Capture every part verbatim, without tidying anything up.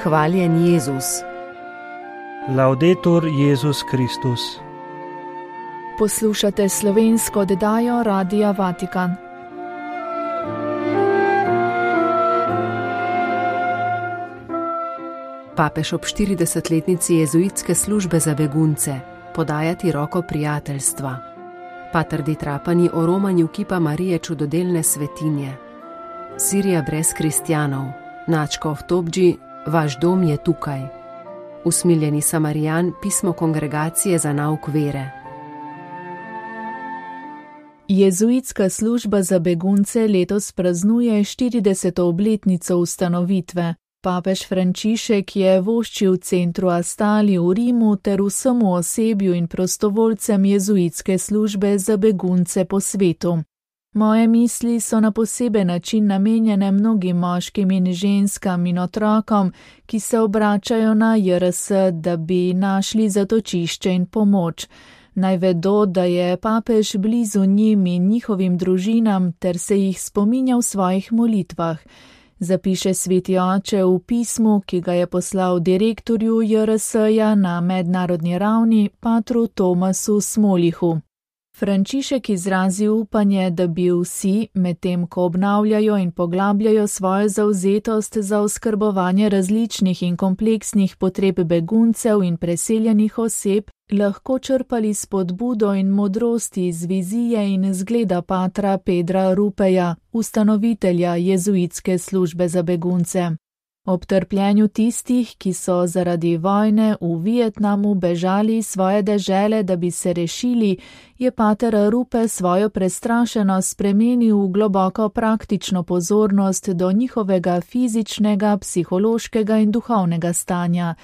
Hvaljen Jezus. Laudetur Jezus Kristus. Poslušate slovensko oddajo Radia Vatikan. Papež ob štiridesetletnici jezuitske službe za begunce, podajati roko prijateljstva. Pater Di Trapani o romanju kipa Marije čudodelne svetinje. Sirija brez kristjanov, Načkov Tobdži, vaš dom je tukaj. Usmiljeni Samarijan, pismo kongregacije za nauk vere. Jezuitska služba za begunce letos praznuje štirideseto obletnico ustanovitve. Papež Frančišek je voščil centru Astali v Rimu ter vsemu osebju in prostovoljcem jezuitske službe za begunce po svetu. Moje misli so na poseben način namenjene mnogim moškim in ženskam in otrokom, ki se obračajo na J R S, da bi našli zatočišče in pomoč. Naj vedo, da je papež blizu njim in njihovim družinam ter se jih spominja v svojih molitvah. Zapiše sveti oče v pismu, ki ga je poslal direktorju J R S-ja na mednarodni ravni, patru Tomasu Smolihu. Frančišek izrazi upanje, da bi vsi, medtem ko obnavljajo in poglabljajo svojo zavzetost za oskrbovanje različnih in kompleksnih potreb beguncev in preseljenih oseb, lahko črpali spodbudo in modrosti iz vizije in zgleda patra Pedra Rupeja, ustanovitelja jezuitske službe za begunce. Ob trpljenju tistih, ki so zaradi vojne v Vietnamu bežali svoje dežele, da bi se rešili, je pater Rupe svojo prestrašenost spremenil v globoko praktično pozornost do njihovega fizičnega, psihološkega in duhovnega stanja,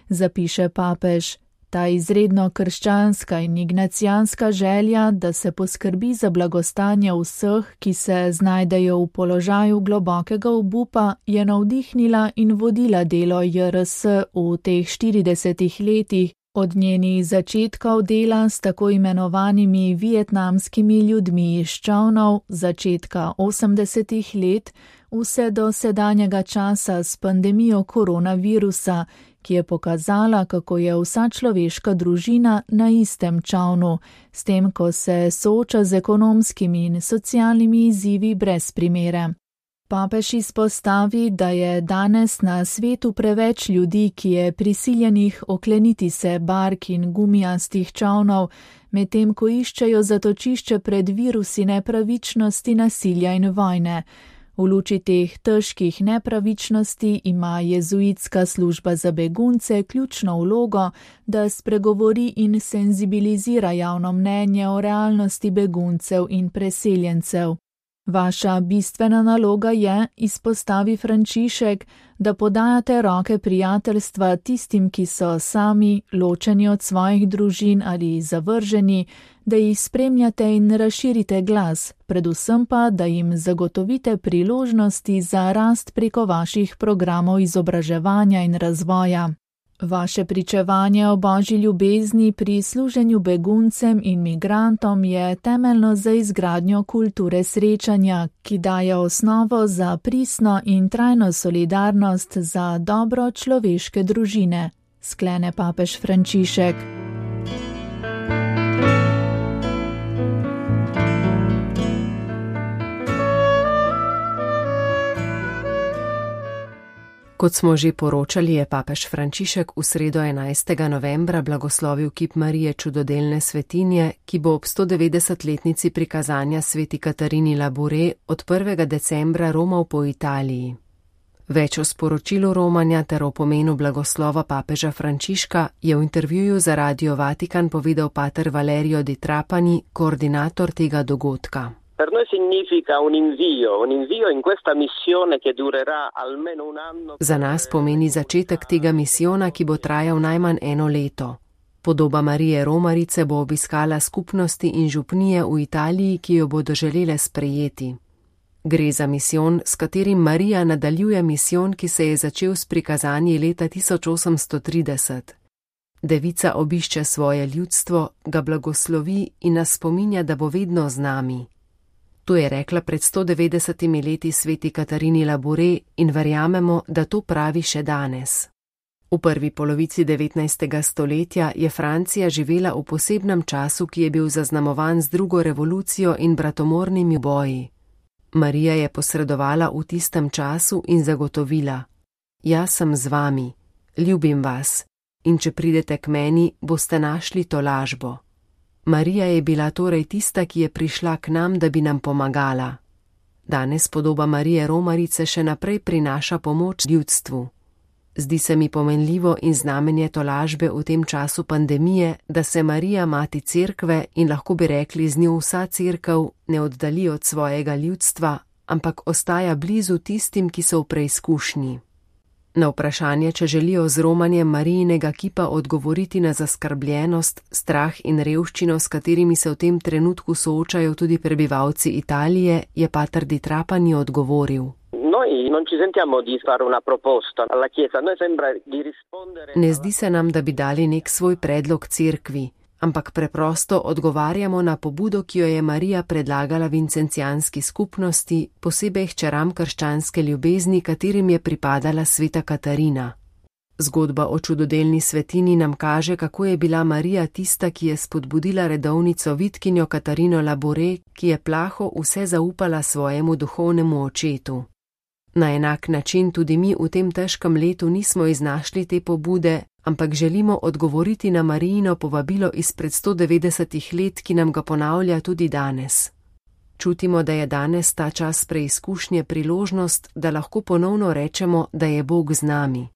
zapiše papež. Ta izredno krščanska in ignacijanska želja, da se poskrbi za blagostanje vseh, ki se znajdejo v položaju globokega obupa, je navdihnila in vodila delo J R S v teh štiridesetih letih, od njenih začetkov dela s tako imenovanimi vietnamskimi ljudmi iz čolnov, začetka osemdesetih let, vse do sedanjega časa s pandemijo koronavirusa, ki je pokazala, kako je vsa človeška družina na istem čolnu, s tem, ko se sooča z ekonomskimi in socialnimi izzivi brez primere. Papež izpostavi, da je danes na svetu preveč ljudi, ki je prisiljenih okleniti se bark in gumijastih čolnov, medtem ko iščejo zatočišče pred virusi nepravičnosti, nasilja in vojne. V luči teh težkih nepravičnosti ima jezuitska služba za begunce ključno vlogo, da spregovori in senzibilizira javno mnenje o realnosti beguncev in preseljencev. Vaša bistvena naloga je, izpostavi Frančišek, da podajate roke prijateljstva tistim, ki so sami, ločeni od svojih družin ali zavrženi, da jih spremljate in razširite glas, predvsem pa, da jim zagotovite priložnosti za rast preko vaših programov izobraževanja in razvoja. Vaše pričevanje o Božji ljubezni pri služenju beguncem in migrantom je temeljno za izgradnjo kulture srečanja, ki daje osnovo za pristno in trajno solidarnost za dobro človeške družine, sklene papež Frančišek. Kot smo že poročali, je papež Frančišek v sredo enajstega novembra blagoslovil kip Marije čudodelne svetinje, ki bo ob stodevetdesetletnici prikazanja sveti Katarini Labure od prvega decembra romal po Italiji. Več o sporočilu romanja ter o pomenu blagoslova papeža Frančiška je v intervjuju za Radio Vatikan povedal pater Valerio Di Trapani, koordinator tega dogodka. Per noi significa un invio, un invio in questa missione che durerà almeno un anno. Za nas pomeni začetek tega misijona, ki bo trajal najmanj eno leto. Podoba Marije Romarice bo obiskala skupnosti in župnije v Italiji, ki jo bodo želele sprejeti. Gre za misijon, s katerim Marija nadaljuje misijon, ki se je začel s prikazanji leta tisoč osemsto trideset. Devica obišče svoje ljudstvo, ga blagoslovi in nas spominja, da bo vedno z nami. To je rekla pred sto devetdesetimi leti sveti Katarini Labure in verjamemo, da to pravi še danes. V prvi polovici devetnajstega stoletja je Francija živela v posebnem času, ki je bil zaznamovan z drugo revolucijo in bratomornimi boji. Marija je posredovala v tistem času in zagotovila: Jaz sem z vami, ljubim vas, in če pridete k meni, boste našli tolažbo. Marija je bila torej tista, ki je prišla k nam, da bi nam pomagala. Danes podoba Marije Romarice še naprej prinaša pomoč ljudstvu. Zdi se mi pomenljivo in znamenje tolažbe v tem času pandemije, da se Marija, mati cerkve in lahko bi rekli z njo vsa cerkev, ne oddali od svojega ljudstva, ampak ostaja blizu tistim, ki so v preizkušnji. Na vprašanje, če želijo z romanjem Marijinega kipa odgovoriti na zaskrbljenost, strah in revščino, s katerimi se v tem trenutku soočajo tudi prebivalci Italije, je pater Di Trapani odgovoril: Ne zdi se nam, da bi dali nek svoj predlog cerkvi, ampak preprosto odgovarjamo na pobudo, ki jo je Marija predlagala vincencijanski skupnosti, posebej hčeram krščanske ljubezni, katerim je pripadala sveta Katarina. Zgodba o čudodelni svetini nam kaže, kako je bila Marija tista, ki je spodbudila redovnico vitkinjo Katarino Labore, ki je plaho vse zaupala svojemu duhovnemu očetu. Na enak način tudi mi v tem težkem letu nismo iznašli te pobude, ampak želimo odgovoriti na Marijino povabilo izpred sto devetdesetih let, ki nam ga ponavlja tudi danes. Čutimo, da je danes ta čas preizkušnje priložnost, da lahko ponovno rečemo, da je Bog z nami.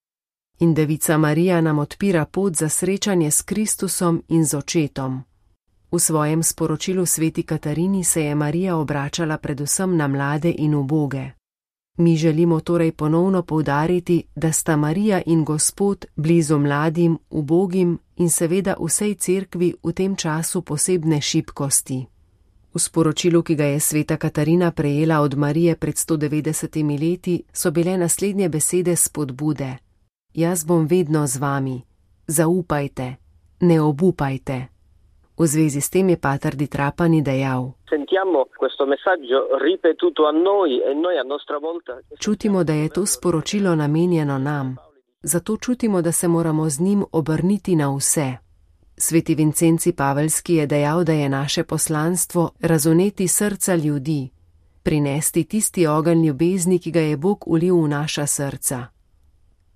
In Devica Marija nam odpira pot za srečanje s Kristusom in z očetom. V svojem sporočilu sveti Katarini se je Marija obračala predvsem na mlade in uboge. Mi želimo torej ponovno poudariti, da sta Marija in Gospod blizu mladim, ubogim in seveda vsej cerkvi v tem času posebne šibkosti. V sporočilu, ki ga je sveta Katarina prejela od Marije pred sto devetdesetimi leti, so bile naslednje besede spodbude: Jaz bom vedno z vami, zaupajte, ne obupajte. V zvezi s tem je pater Di Trapani dejal: Čutimo, da je to sporočilo namenjeno nam, zato čutimo, da se moramo z njim obrniti na vse. Sveti Vincenci Paveljski je dejal, da je naše poslanstvo razoneti srca ljudi, prinesti tisti ogenj ljubezni, ki ga je Bog ulil v naša srca.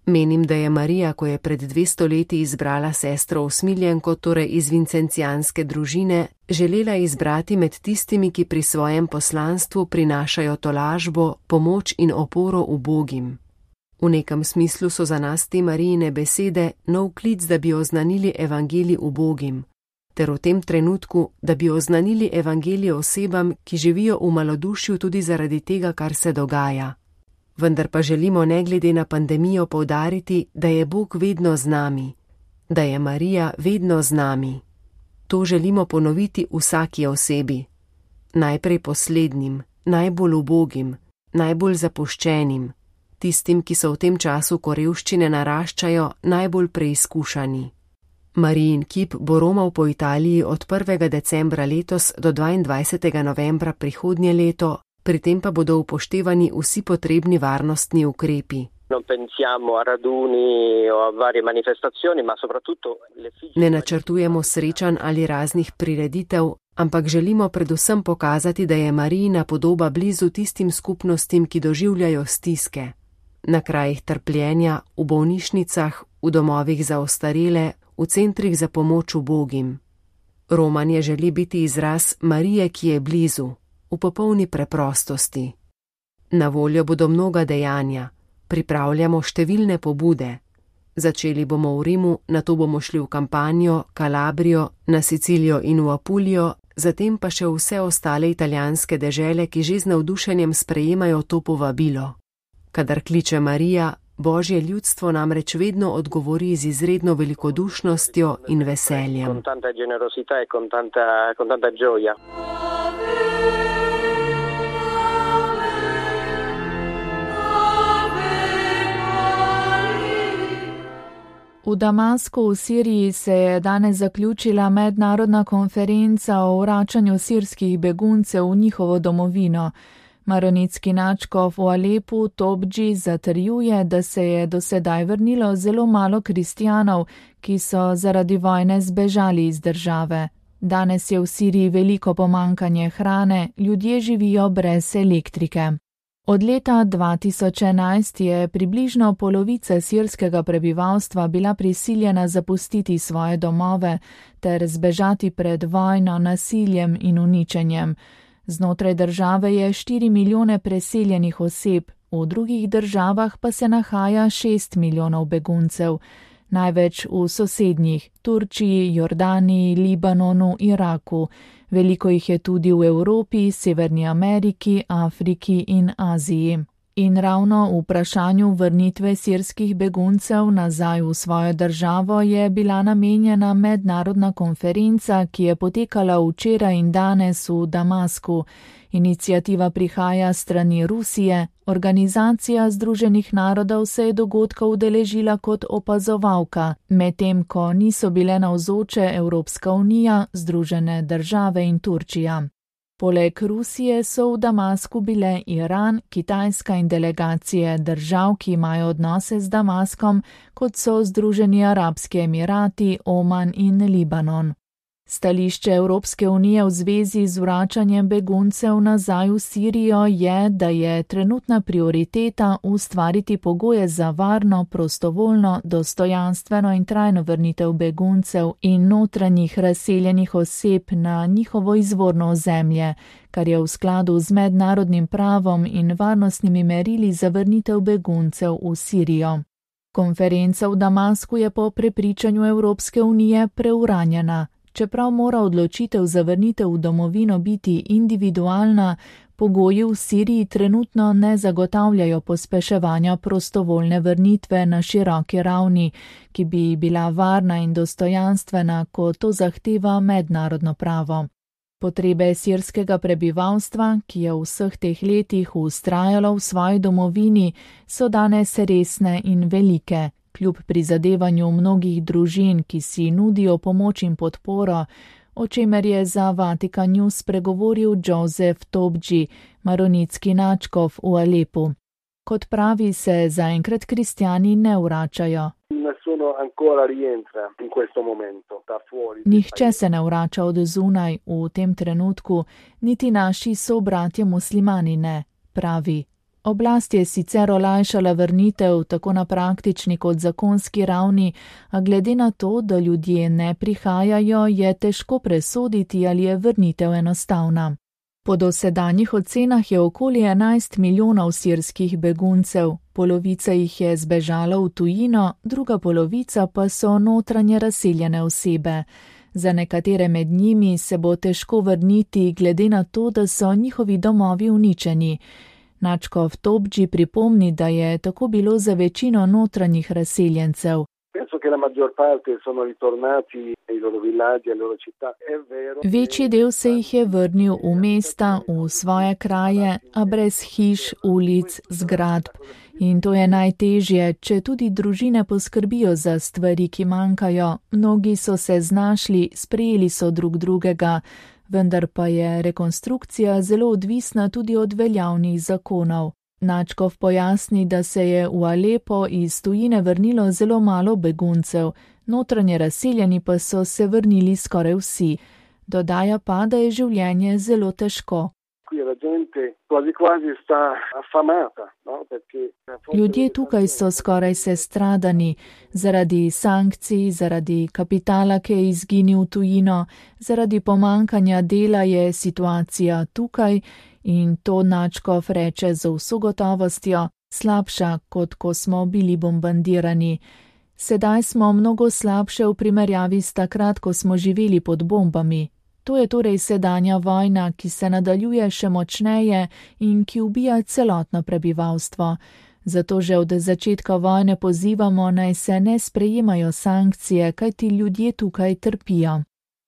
Menim, da je Marija, ko je pred dvesto leti izbrala sestro usmiljenko, torej iz vincencijanske družine, želela izbrati med tistimi, ki pri svojem poslanstvu prinašajo tolažbo, pomoč in oporo ubogim. V nekem smislu so za nas te Marijine besede nov klic, da bi oznanili evangelij ubogim, ter v tem trenutku, da bi oznanili evangelij osebam, ki živijo v malodušju tudi zaradi tega, kar se dogaja. Vendar pa želimo ne glede na pandemijo poudariti, da je Bog vedno z nami, da je Marija vedno z nami. To želimo ponoviti vsaki osebi. Najprej poslednjim, najbolj ubogim, najbolj zapuščenim, tistim, ki so v tem času, ko revščine naraščajo, najbolj preizkušani. Marijin kip bo romal po Italiji od prvega decembra letos do dvaindvajsetega novembra prihodnje leto, pri tem pa bodo upoštevani vsi potrebni varnostni ukrepi. Ne načrtujemo srečanj ali raznih prireditev, ampak želimo predvsem pokazati, da je Marijina podoba blizu tistim skupnostim, ki doživljajo stiske. Na krajih trpljenja, v bolnišnicah, v domovih za ostarele, v centrih za pomoč ubogim. Romanje želi biti izraz Marije, ki je blizu, v popolni preprostosti. Na voljo bodo mnoga dejanja, pripravljamo številne pobude. Začeli bomo v Rimu, nato bomo šli v Kampanjo, Kalabrijo, na Sicilijo in v Apulijo, zatem pa še vse ostale italijanske dežele, ki že z navdušenjem sprejemajo to povabilo. Kadar kliče Marija, Božje ljudstvo namreč vedno odgovori z izredno velikodušnostjo in veseljem. V Damasku v Siriji se je danes zaključila mednarodna konferenca o vračanju sirskih beguncev v njihovo domovino. Maronitski nadškof v Alepu Tobdži zatrjuje, da se je do sedaj vrnilo zelo malo kristjanov, ki so zaradi vojne zbežali iz države. Danes je v Siriji veliko pomankanje hrane, ljudje živijo brez elektrike. Od leta dva tisoč enajst je približno polovica sirskega prebivalstva bila prisiljena zapustiti svoje domove ter zbežati pred vojno, nasiljem in uničenjem. Znotraj države je štiri milijone preseljenih oseb, v drugih državah pa se nahaja šest milijonov beguncev. Največ v sosednjih Turčiji, Jordaniji, Libanonu, Iraku. Veliko jih je tudi v Evropi, Severni Ameriki, Afriki in Aziji. In ravno v vprašanju vrnitve sirskih beguncev nazaj v svojo državo je bila namenjena mednarodna konferenca, ki je potekala včeraj in danes v Damasku. Iniciativa prihaja strani Rusije, Organizacija Združenih narodov se je dogodka udeležila kot opazovalka, medtem ko niso bile navzoče Evropska unija, Združene države in Turčija. Poleg Rusije so v Damasku bile Iran, Kitajska in delegacije držav, ki imajo odnose z Damaskom, kot so Združeni arabski emirati, Oman in Libanon. Stališče Evropske unije v zvezi z vračanjem beguncev nazaj v Sirijo je, da je trenutna prioriteta ustvariti pogoje za varno, prostovoljno, dostojanstveno in trajno vrnitev beguncev in notranjih razseljenih oseb na njihovo izvorno ozemlje, kar je v skladu z mednarodnim pravom in varnostnimi merili za vrnitev beguncev v Sirijo. Konferenca v Damasku je po prepričanju Evropske unije preuranjena. Čeprav mora odločitev za vrnitev v domovino biti individualna, pogoji v Siriji trenutno ne zagotavljajo pospeševanja prostovoljne vrnitve na široki ravni, ki bi bila varna in dostojanstvena, kot to zahteva mednarodno pravo. Potrebe sirskega prebivalstva, ki je v vseh teh letih vztrajalo v svoji domovini, so danes resne in velike. Kljub prizadevanju mnogih družin, ki si nudijo pomoč in podporo, o čemer je za Vatikan News spregovoril Joseph Tobdži, maronitski nadškof v Alepu. Kot pravi, se zaenkrat kristjani ne vračajo. Nihče se ne vrača od zunaj v tem trenutku, niti naši sobratje muslimani ne, pravi. Oblast je sicer olajšala vrnitev tako na praktični kot zakonski ravni, a glede na to, da ljudje ne prihajajo, je težko presoditi, ali je vrnitev enostavna. Po dosedanjih ocenah je okoli enajst milijonov sirskih beguncev, polovica jih je zbežala v tujino, druga polovica pa so notranje razseljene osebe. Za nekatere med njimi se bo težko vrniti, glede na to, da so njihovi domovi uničeni. Nadškof Tobdži pripomni, da je tako bilo za večino notranjih razseljencev. Večji del se jih je vrnil v mesta, v svoje kraje, a brez hiš, ulic, zgradb. In to je najtežje, če tudi družine poskrbijo za stvari, ki manjkajo. Mnogi so se znašli, sprejeli so drug drugega, vendar pa je rekonstrukcija zelo odvisna tudi od veljavnih zakonov. Nadškof pojasni, da se je v Alepo iz tujine vrnilo zelo malo beguncev, notranje razseljeni pa so se vrnili skoraj vsi. Dodaja pa, da je življenje zelo težko. Ljudje tukaj so skoraj sestradani, zaradi sankcij, zaradi kapitala, ki je izginil v tujino, zaradi pomankanja dela je situacija tukaj in to nadškof reče z vso gotovostjo slabša, kot ko smo bili bombardirani. Sedaj smo mnogo slabše v primerjavi s takrat, ko smo živeli pod bombami. To je torej sedanja vojna, ki se nadaljuje še močneje in ki ubija celotno prebivalstvo. Zato že od začetka vojne pozivamo, naj se ne sprejemajo sankcije, kajti ljudje tukaj trpijo.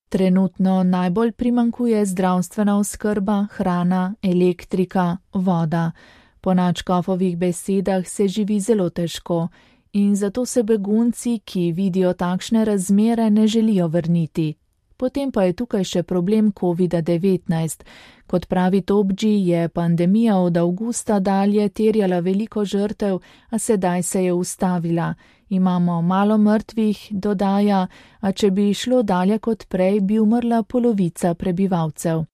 Trenutno najbolj primanjkuje zdravstvena oskrba, hrana, elektrika, voda. Po nadškofovih besedah se živi zelo težko in zato se begunci, ki vidijo takšne razmere, ne želijo vrniti. Potem pa je tukaj še problem kovida devetnajst. Kot pravi Tobdži, je pandemija od avgusta dalje terjala veliko žrtev, a sedaj se je ustavila. Imamo malo mrtvih, dodaja, a če bi šlo dalje kot prej, bi umrla polovica prebivalcev.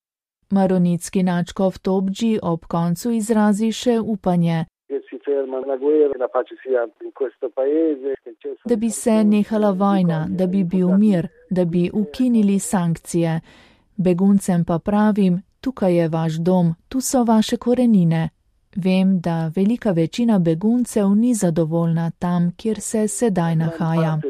Maronitski nadškof Tobdži ob koncu izrazi še upanje, da bi se nehala vojna, da bi bil mir, da bi ukinili sankcije. Beguncem pa pravim, tukaj je vaš dom, tu so vaše korenine. Vem, da velika večina beguncev ni zadovoljna tam, kjer se sedaj nahaja.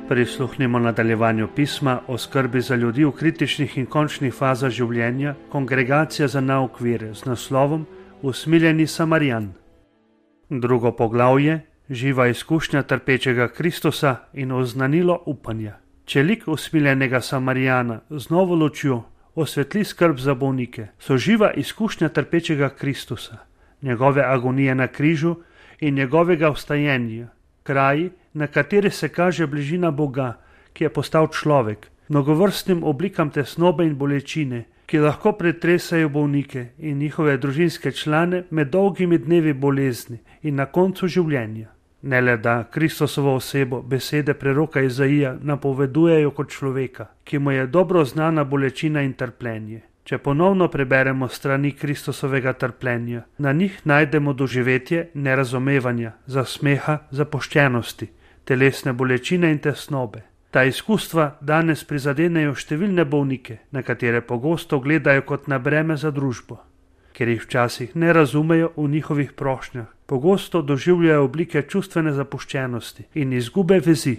Prisluhnimo nadaljevanju pisma o skrbi za ljudi v kritičnih in končnih fazah življenja Kongregacija za nauk vere z naslovom Usmiljeni Samarijan. Drugo poglavje, živa izkušnja trpečega Kristusa in oznanilo upanja. Če lik usmiljenega Samarijana z novo lučjo osvetli skrb za bolnike, so živa izkušnja trpečega Kristusa, njegove agonije na križu in njegovega vstajenja, kraji, na kateri se kaže bližina Boga, ki je postal človek, mnogovrstnim oblikam tesnobe in bolečine, ki lahko pretresajo bolnike in njihove družinske člane med dolgimi dnevi bolezni in na koncu življenja. Ne le da Kristusovo osebo besede preroka Izaija napovedujejo kot človeka, ki mu je dobro znana bolečina in trpljenje. Če ponovno preberemo strani Kristusovega trpljenja, na njih najdemo doživetje nerazumevanja, zasmeha, zapuščenosti, telesne bolečine in tesnobe. Ta izkustva danes prizadenejo številne bolnike, na katere pogosto gledajo kot na breme za družbo. Ker jih včasih ne razumejo v njihovih prošnjah, pogosto doživljajo oblike čustvene zapuščenosti in izgube vezi.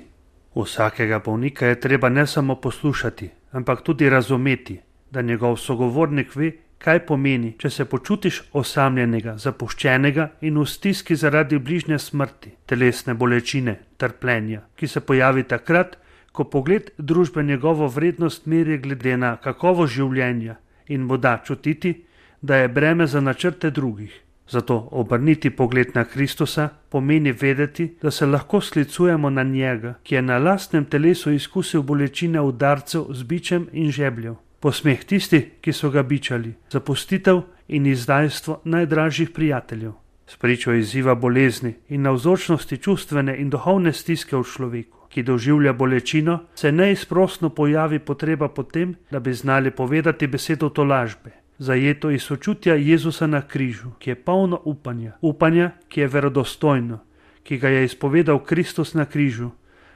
Vsakega bolnika je treba ne samo poslušati, ampak tudi razumeti, da njegov sogovornik ve, kaj pomeni, če se počutiš osamljenega, zapuščenega in v stiski zaradi bližnje smrti, telesne bolečine, trpljenja, ki se pojavi takrat, ko pogled družbe njegovo vrednost meri glede na kakovost življenja in mu da čutiti, da je breme za načrte drugih. Zato obrniti pogled na Kristusa pomeni vedeti, da se lahko sklicujemo na njega, ki je na lastnem telesu izkusil bolečine udarcev z bičem in žebljev, posmeh tistih, ki so ga bičali, zapustitev in izdajstvo najdražjih prijateljev. Spričo izziva bolezni in navzočnosti čustvene in duhovne stiske v človeku, ki doživlja bolečino, se neizprosno pojavi potreba po tem, da bi znali povedati besedo tolažbe, zajeto iz sočutja Jezusa na križu, ki je polno upanja, upanja, ki je verodostojno, ki ga je izpovedal Kristus na križu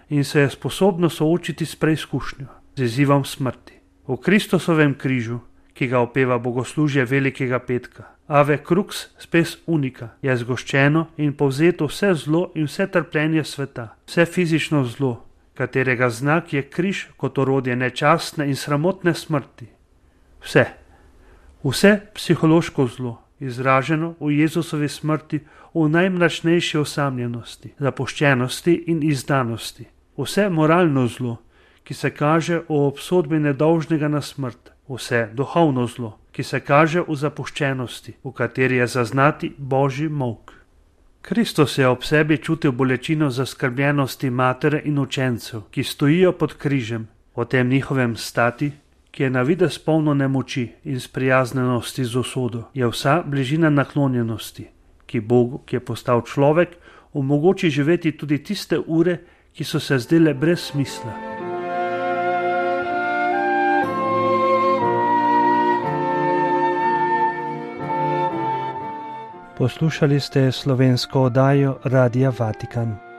in se je sposobno soočiti s preizkušnjo, z izzivom smrti. V Kristusovem križu, ki ga opeva bogoslužje Velikega petka, Ave Crux spes unica, je zgoščeno in povzeto vse zlo in vse trpljenje sveta, vse fizično zlo, katerega znak je križ kot orodje nečastne in sramotne smrti. Vse, vse psihološko zlo, izraženo v Jezusovi smrti v najmračnejši osamljenosti, zapuščenosti in izdanosti. Vse moralno zlo, ki se kaže v obsodbi nedolžnega na smrt. Vse duhovno zlo, ki se kaže v zapuščenosti, v kateri je zaznati Božji molk. Kristus je ob sebi čutil bolečino zaskrbljenosti matere in učencev, ki stojijo pod križem, o tem njihovem stati, ki je na videz polno nemoči in sprijaznenosti z usodo, je vsa bližina naklonjenosti, ki Bogu, ki je postal človek, omogoči živeti tudi tiste ure, ki so se zdele brez smisla. Poslušali ste slovensko oddajo Radia Vatikan.